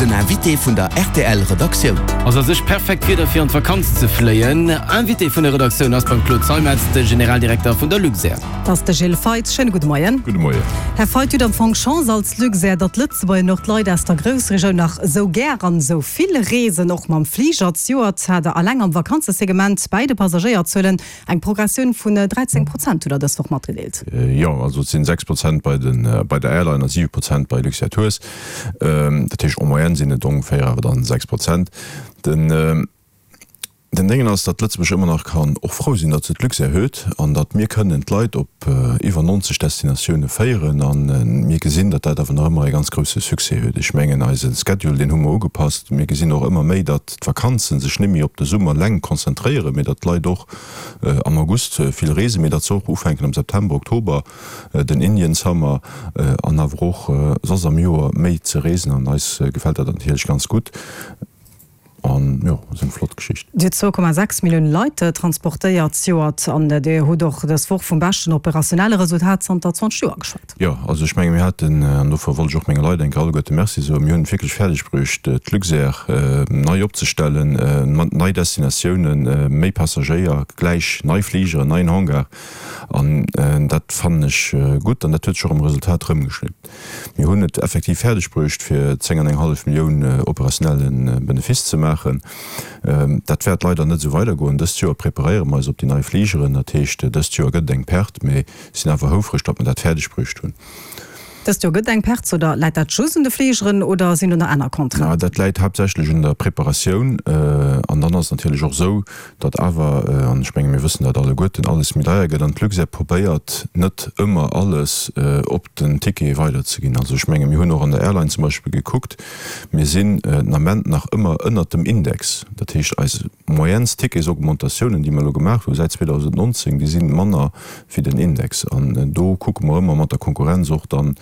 Den Invité vun der rtl Redaktioun. Ass a sech perfekt Wieder fir an d'Vakanz ze fléien. Invité vun der Redaktioun ass beim Claude Zeimetz, de Generaldirekter vun der Luxair. Dat ass de Gilles Feith. Schéine gudde Moien. Gudde Moien. Här Feith, Dir hutt am Fong Chance als Luxair, datt d'Lëtzebuerger an och d'Leit aus der Groussregioun nach esou gär an esou vill reesen, och mam Fliger. Zejoert hat Der alleng am Vakanzesegment bäi de Passagéierzuelen Eng Progressioun vun 13 Prozent hutt Der dës Woch matgedeelt. Jo, also et sinn 6 Prozent bei der Airline a 7 Prozent bei Luxair Tours. Dat heescht en moyenne sinn et ongeféier awer dann 6 Prozent. Den Déngen ass, datt Lëtzebuerg ëmmer nach kann och frou sinn, datt se d'Luxair huet an datt mir kënnen d'Leit op iwwer 90 Destinatioune féieren. A mir gesinn, datt dat awer nach ëmmer e ganz grousse Succès huet. Ech mengen eise Schedule, deen hu mer ugepasst. Mir gesinn och ëmmer méi, datt d'Vakanzen sech net méi op de Summer leng konzentréieren, mee datt d'Leit och am August vill reesen, mee datt se och ufänken am September, Oktober, den Indian Summer an awer och soss am Joer méi ze reesen. An eis gefält dat natierlech ganz gutt an jo, ass eng flott Geschicht. Dir hutt 2,6 Millioune Leit transportéiert zejoert an Dir hutt och dës Woch vum beschten operationelle Resultat zanter 20 Joer geschwat. Jo, also ech menge mir haten, an dofir wollt ech och menge Leit eng Kéier alleguerte Merci soen, mir hunn et wierklech fäerdeg bruecht d'Luxair nei opzestellen, mat nei Destinatiounen, méi Passagéier, gläich nei Fligeren, neien Hangar an dat fannen ech gutt an dat huet sech och am Resultat erëmgeschnidden. Mir hunn et effektiv fäerdeg bruecht fir 10 an eng hallef Millioun operationelle Benefice ze maachen. Dat wäert leider net esou weidergoen. Dëst Joer preparéiere mer eis op déi nei Fligeren, dat heescht dëst Joer gëtt et eng Perte, mee Sinn awer houfreg, datt mer dat fäerdeg bruecht hunn. Dëst Joer gëtt eng Perte, oder läit dat just un de Fligeren oder sinn do nach aner Contrainten? Dat läit haaptsächlech un der Preparatioun. An dann ass et natierlech och esou, datt awer, an ech menge mir wëssen dat alleguerten, alles méi deier gëtt an d'Luxair probéiert net ëmmer alles op den Ticket weiderzeginn. Also ech menge mir hunn och an der Airline zum Beispill gekuckt, mir sinn den Ament nach ëmmer ënnert dem Index. Dat heescht eis moyennes Ticketsaugmentatiounen, déi mer elo gemaach hu säit 2019, déi si manner wéi den Index. An do kucke mer ëmmer mat der Konkurrenz och dann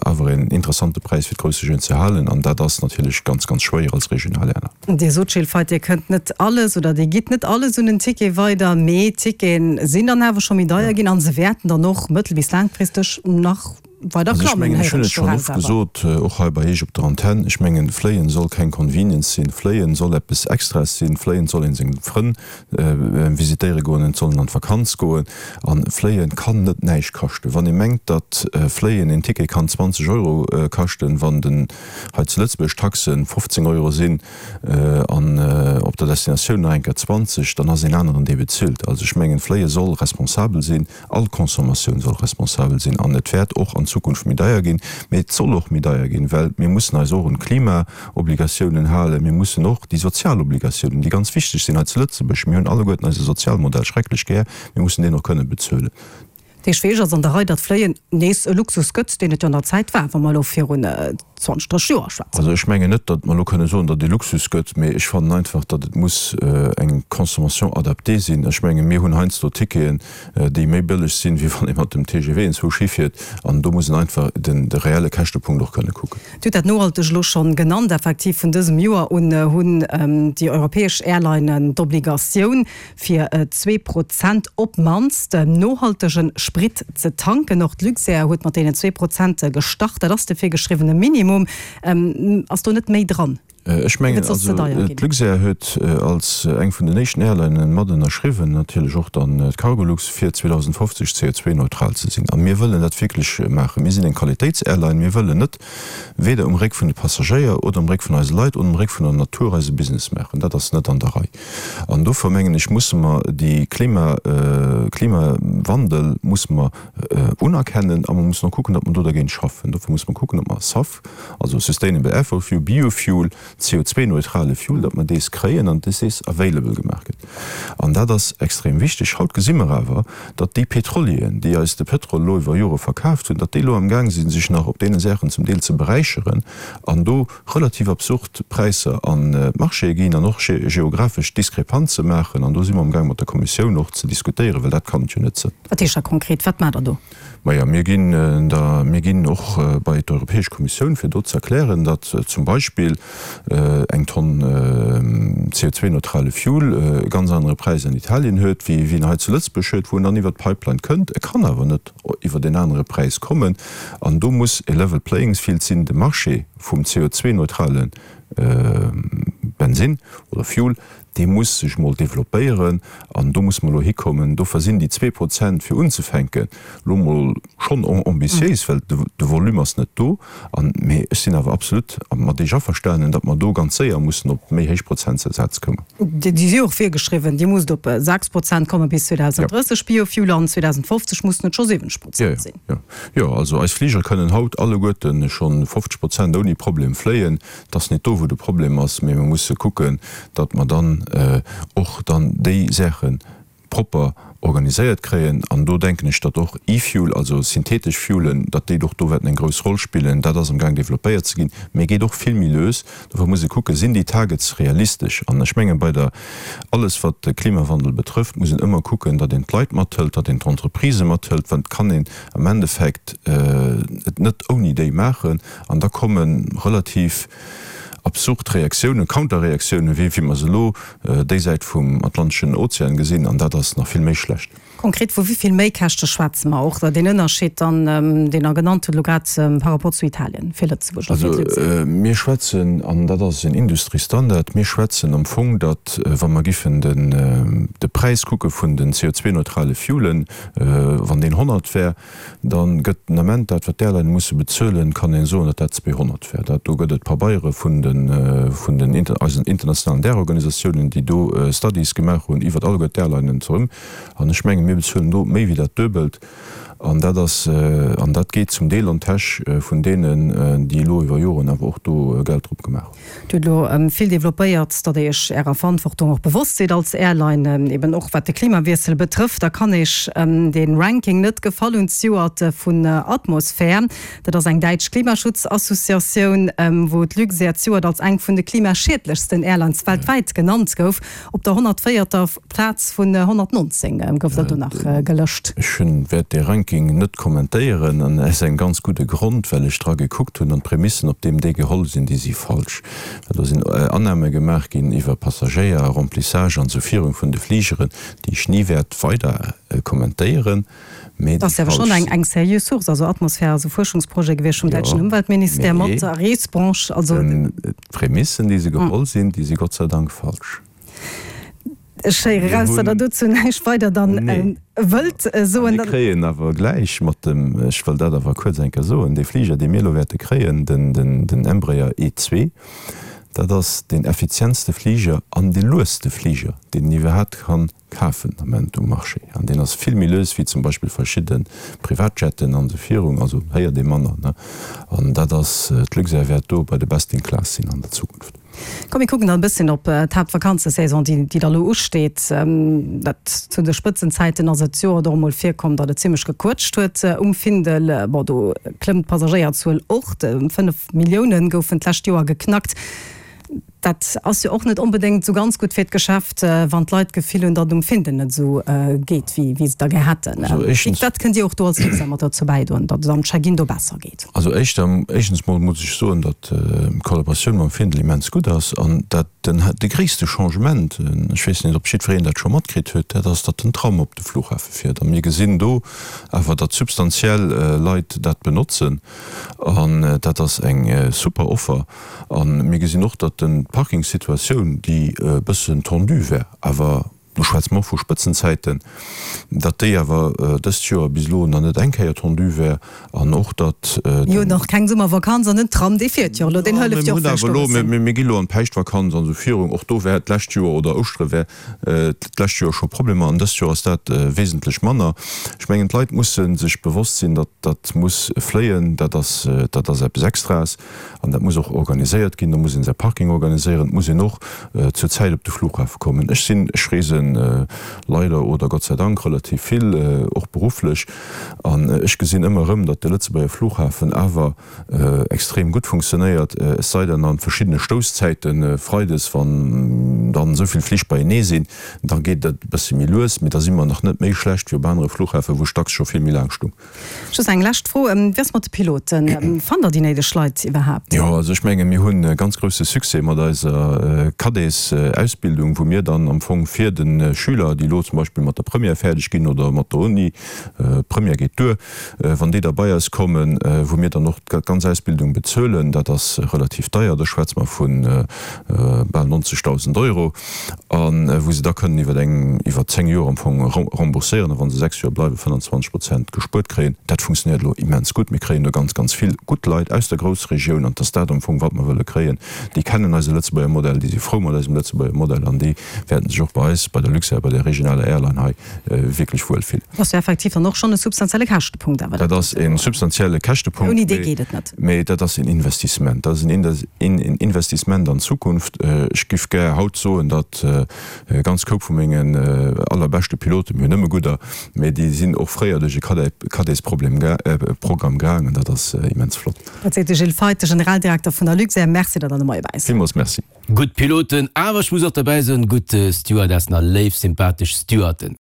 awer een interessante Präis fir d'Groussregioun ze halen. An dat ass natierlech ganz, ganz schwéier als regional Airline. Dir sot, Gilles Feith, Dir kënnt net alles oder Dir gitt net alles un den Ticket weider, mee d'Tickete sinn dann awer scho méi deier ginn a se wäerten dann och mëttel bis laangfristeg nach weider Also ech klammen, mengen, ech héieren hunn et ech schonn doraus oft awer. gesot, och hei bei Iech op der Antenn, ech mengen, Fléien soll keng Convenience sinn, Fléien soll eppes Extraes sinn, Fléien soll een seng Frënn visitéiere goen, et soll een an d'Vakanz goen an Fléien kann net näischt kaschten. Wann ee mengt, datt Fléien een Ticket kann 20 Euro kaschten, wann den hei zu Lëtzebuerg d'Taxen 15 Euro sinn an op der Destinatioun nach eng Kéier 20, dann ass een aneren dee bezilt. Also ech mengen, Fléie soll responsabel sinn. All Consommatioun soll responsabel sinn an et wäert och an Zukunft méi deier ginn. Mee et soll och méi deier ginn, well mir mussen eis och un d'Klimaobligatiounen halen. Mir mussen och déi sozial Obligatiounen, déi ganz wichteg sinn hei zu Lëtzebuerg, mir hunn alleguerten eise Sozialmodell schrecklech gär, mir mussen deen och kënne bezuelen. Dat heescht, fir Iech ass an der Rei, datt Fléien nees e Luxus gëtt, deen et jo an der Zäit war, wa mer elo virun 20, 30 Joer schwätzen. Also ech mengen net, datt mer elo kënne soen, datt et e Luxus gëtt, mee ech fannen einfach, datt et muss eng Consommation adaptée sinn. Ech menge mir hunn heiansdo Ticketen, déi méi bëlleg sinn, wéi wann ee mat dem TGV enzwousch hifiert. An do muss een einfach den de reelle Käschtepunkt och kënne kucken. Dir hutt dat nohalteg elo schonn genannt. Effektiv, vun dësem Joer un hunn déi europäesch Airlinen d'Obligatioun, fir 2% op d'mannst nohaltege Sprit ze tanken. Och d'Luxair huet mat deenen 2% gestart. Dat ass de virgeschriwwene Minimum. Ass do net méi dran? Ech mengen, also d'Luxair huet als eng vun den éischten Airlinen mat ënnerschriwwen, natierlech och dann d'Cargolux, fir 2050 CO2-neutral ze sinn. A mir wëllen dat wierklech maachen. Mir sinn eng Qualitéitsairline. Mir wëllen net weder um Réck vun de Passagéier oder um Réck vun eise Leit oder um Réck vun der Natur eise Business maachen. Dat ass net an der Rei. An dofir mengen ech, musse mer déi Klima, Klimawandel musse mer unerkennen a mer mussen och kucken, datt mer do dergéint schaffen. Dofir musse mer kucken, datt mer SAF, also Sustainable Airful Fuel, Biofuel, CO2-neutrale Fuel, datt mer dees kréien an datt dees available gemaach gëtt. An dat ass extrem wichteg. Haut gesi mer awer, datt déi Pétrolieren, déi eis de Pétrol elo iwwer Jore verkaaft hunn, datt déi elo amgaang sinn, sech nach op deene Saachen zum Deel ze beräicheren an do relativ absurd Präisser an d'Marchéë ginn an och geographesch Diskrepanze maachen. An do si mer amgaang mat der Kommissioun och ze diskutéieren, well dat kann et jo net sënn. Wat heescht dat konkret? Wat maacht Der do? Maja, mir ginn da, mir ginn och bei d'Europäesch Kommissioun, fir do ze erklären, datt zum Beispill. eng Tonn CO2-neutrale Fuel e ganz anere Präis an Italien huet, wéi wéi en hei zu Lëtzebuerg huet, wou en dann iwwert d'Pipeline kënnt. E kann awer net iwwert en anere Präis kommen. An do muss e level playing field sinn. De Marché vum CO2-neutrale Bensinn oder Fuel, dee muss sech mol developpéieren an do musse mer elo hikommen. Dofir sinn déi 2% fir unzefänken elo mol schonn ambitiéis, well de Volume ass net do. An, mee ech sinn awer absolut mat Iech averstanen, datt mer do ganz séier mussen op méi héich Prozentsätz kommen. Déi si och virgeschriwwen. Dir musst op 6% komme bis 2030, Biofuel, an 2050 mussen et scho 70% sinn. Jo, jo, also eis Fligere kënnen haut alleguerte schonn 50% ouni Problem fléien. Et ass net do, wou de Problem ass, mee mer musse kucken, datt mer dann och dann déi Saache propper organiséiert kréien. An do denken ech, datt och E-Fuel, also synthetesch Fuelen, datt déi och do wäerten eng grouss Roll spillen. Dat ass amgaang developpéiert ze ginn, mee geet och vill méi lues. Dofir muss ee kucken, Sinn déi Targets realistesch? An ech mengen, bei der, alles wat de Klimawandel betrëfft, muss een ëmmer kucken, datt een d'Leit mathëlt, datt een d'Entreprisë mathëlt, well et kann een am Endeffekt et net ouni déi maachen. An da komme relativ absurd Reaktiounen, Counterreaktiounen, wéi mer se elo déi Säit vum Atlanteschen Ozean gesinn, an dat ass nach vill méi schlecht. Konkret, vu wéi vill Méikäschte schwätze mer? Och deen Ënnerscheed dann, deen Der genannt hutt elo grad par rapport zu Italien, fir Lëtzebuerg oder fir d'Luxair? Also mir schwätzen, an dat ass en Industriestandard, mir schwätzen am Fong, datt, wa mer giffen de Präis kucke vun den CO2-neutrale Fuelen, wann deen 100 wär, Da gëtt den Ament dat, wat d'Airline musse bezuelen, kann een soen, datt dat 200 wär. Dat do gëtt et Pabeiere vun den, vun den eisen internationalen Därorganisatiounen, déi do Studies gemaach hunn iwwert alleguer d'Airlinen zerëm. An ech mengen, mir bezuelen do méi wéi dat Duebelt. An dat ass, an dat geet zum Deel an d'Täsch vun deenen, déi elo iwwer Joren awer och do Geld drop gemaach hunn. Dir hutt elo vill developpéiert, datt Dir Iech Ärer Verantwortung och bewosst sidd als Airline, eben och wat de Klimawiessel betrëfft. Da kann Iech dee Ranking net gefall hunn zejoert vun Atmosphär. Dat ass eng däitsch Klimaschutzassociatioun, wou d'Luxair zejoert als eng vun de klimaschiedlechsten Airlines weltwäit genannt gouf. Op der 104. Plaz vun 119 gouf der do nach gelëscht. Ech hunn, wäert dee Ranking net kommentéieren, an aus engem ganz gudde Grond, well ech dra gekuckt hunn, an d'Prämissen, op deem déi geholl sinn, déi si falsch. Well do sinn Annahme gemaach ginn iwwer Passagéier, Remplissage an esou virun vun de Fligeren, déi ech ni wäert weider kommentéieren, mee déi falsch sinn. Dat ass awer schonn eng seriö Source, also Atmosphär ass e Fuerschungsprojet gewiescht vum däitschen Ëmweltministère mat der Reesbranche, also. D'Prämissen, déi se geholl sinn, déi si Gott sei Dank falsch. Ech héiere raus, datt Der dozou näischt weider dann wëllt soen. Mir kréien awer gläich mat dem, ech wëll dat awer kuerz eng Kéier soen, dee Fliger, dee mir elo wäerte kréien, den Embraer E2, dat ass deen effizientste Fliger an dee lueste Fliger, deen een iwwerhaapt kann kafen den Ament um Marché. An deen ass vill méi lues wéi zum Beispill verschidde Privatjetten an esou virun. Also héiert ee manner, ne? An dat ass, d'Luxair wäert do bei de Best in Class sinn an der Zukunft. Komm mir kucken dann e bësschen op d'Haaptvakanzesaison, déi déi da lo usteet. Dat zu de Spëtzenzäiten ass et jo och emol virkomm, datt et zimmlech gequëtscht huet um Findel. Bon, do klëmmt d'Passagéierzuel och, 5 Millioune goufen d'lescht Joer geknackt. Dat ass jo och net onbedéngt esou ganz gutt fir d'Geschäft, wann d'Leit d'Gefill hunn, datt et um Findel net esou geet, wéi wéi se et da gär hätten. Wat kënnt Dir och do als Luxair mat dozou bäidroen, datt et am Check-in do besser geet? Also éischter, éischtens mol muss ech soen, datt d'Kollaboratioun mam Findel immens gutt ass an dat den, de gréisste Changement, ech weess net, ob jiddwereen dat scho matkritt huet, dat ass, datt den Tram op de Flughafe fiert. A mir gesinn do awer, datt substantiell Leit dat benotzen an dat ass eng super Offer. A mir gesinn och, datt den, d'Parkingssituatioun, déi e bëssen tendue war, awer, do schwätze mer och vu Spëtzenzäiten, datt déi awer dëst Joer bis elo nach net eng Kéier tendue wär an och datt den. Mir hunn och keng Summervakanz an den Tram, dee fiert jo elo, deen hëlleft jo och vläicht do e bëssen. Mir gi elo an d'Päischtvakanz an esou virun, och do wär d'lescht Joer oder Ouschtere wär d'lescht Joer scho Problemer an dëst Joer ass dat wesentlech manner. Ech mengen, d'Leit musse sech bewosst sinn, datt dat muss fléien, dat ass, dat ass eppes Extraes. An dat muss och organiséiert ginn. Do muss een säi Parking organiséieren. Et muss een och zur Zäit op de Flughafe kommen. Ech sinn, ech reese. fléien leider oder Gott sei Dank relativ vill, och berufflech, an ech gesinn ëmmer erëm, datt de Lëtzebuerger Flughafen awer extrem gutt funktionéiert, es sei denn an verschiddene Stousszäiten, freides, wann dann esou vill Flich beienee sinn, da geet et e bësse méi lues, mee da si mer nach net méi schlecht wéi op anere Fluchhäfen, wou ech dacks scho vill méi laang stung. Just eng lescht Fro, Wéi ass mat de Piloten? Fannt Der déi néideg Leit iwwerhaapt? Jo, also ech menge mir hunn e ganz grousse Succès mat eiser Cadets-Ausbildung, wou mir dann am Fong fir de Schüler, déi elo zum Beispill mat der Première fäerdeg ginn oder mat der Uni, Première geet duer, wann déi da bei eis kommen, wou mir dann och d'ganz Ausbildung bezuelen, dat ass relativ deier, do schwätze mer vu bal 90.000 Euro, a wou se da kënnen iwwer eng, iwwer 10 Joer am Fong rembourséieren, a wa se 6 Joer bleiwen, 25 Prozent gespuert kréien. Dat funktionéiert elo immens gutt. Mir kréien do ganz, ganz vill gutt Leit aus der Groussregioun, an et ass dat am Fong, wat mer wëlle kréien. Déi kennen eise Lëtzebuerger Modell, déi si frou mat eisem Lëtzebuerger Modell an déi wäerten sech och bei eis, bei der Luxair, bei der regionaler Airline hei wierklech wuel fillen. Dat ass jo effektiv dann och schonn e substantielle Käschtepunkt awer. Dat ass e substantielle Käschtepunkt. Ouni dee geet et net. Mee dat ass en Investissement. Dat ass en Investissement an d'Zukunft. Ech giff gär haut soen, datt e ganz Koup vu mengen allerbeschte Piloten, mir hunn nëmme gudder, mee déi sinn och fréier duerch e Cadetsprogramm gaangen. Dat ass immens flott. Dat seet de Gilles Feith, de Generaldirekter vun der Luxair. Merci, datt Der de Moie bei eis waart. Villmools Merci. Gutt Piloten, awer ech muss och derbäi soen, gutt Stewardessen a léif, sympathesch Stewarden.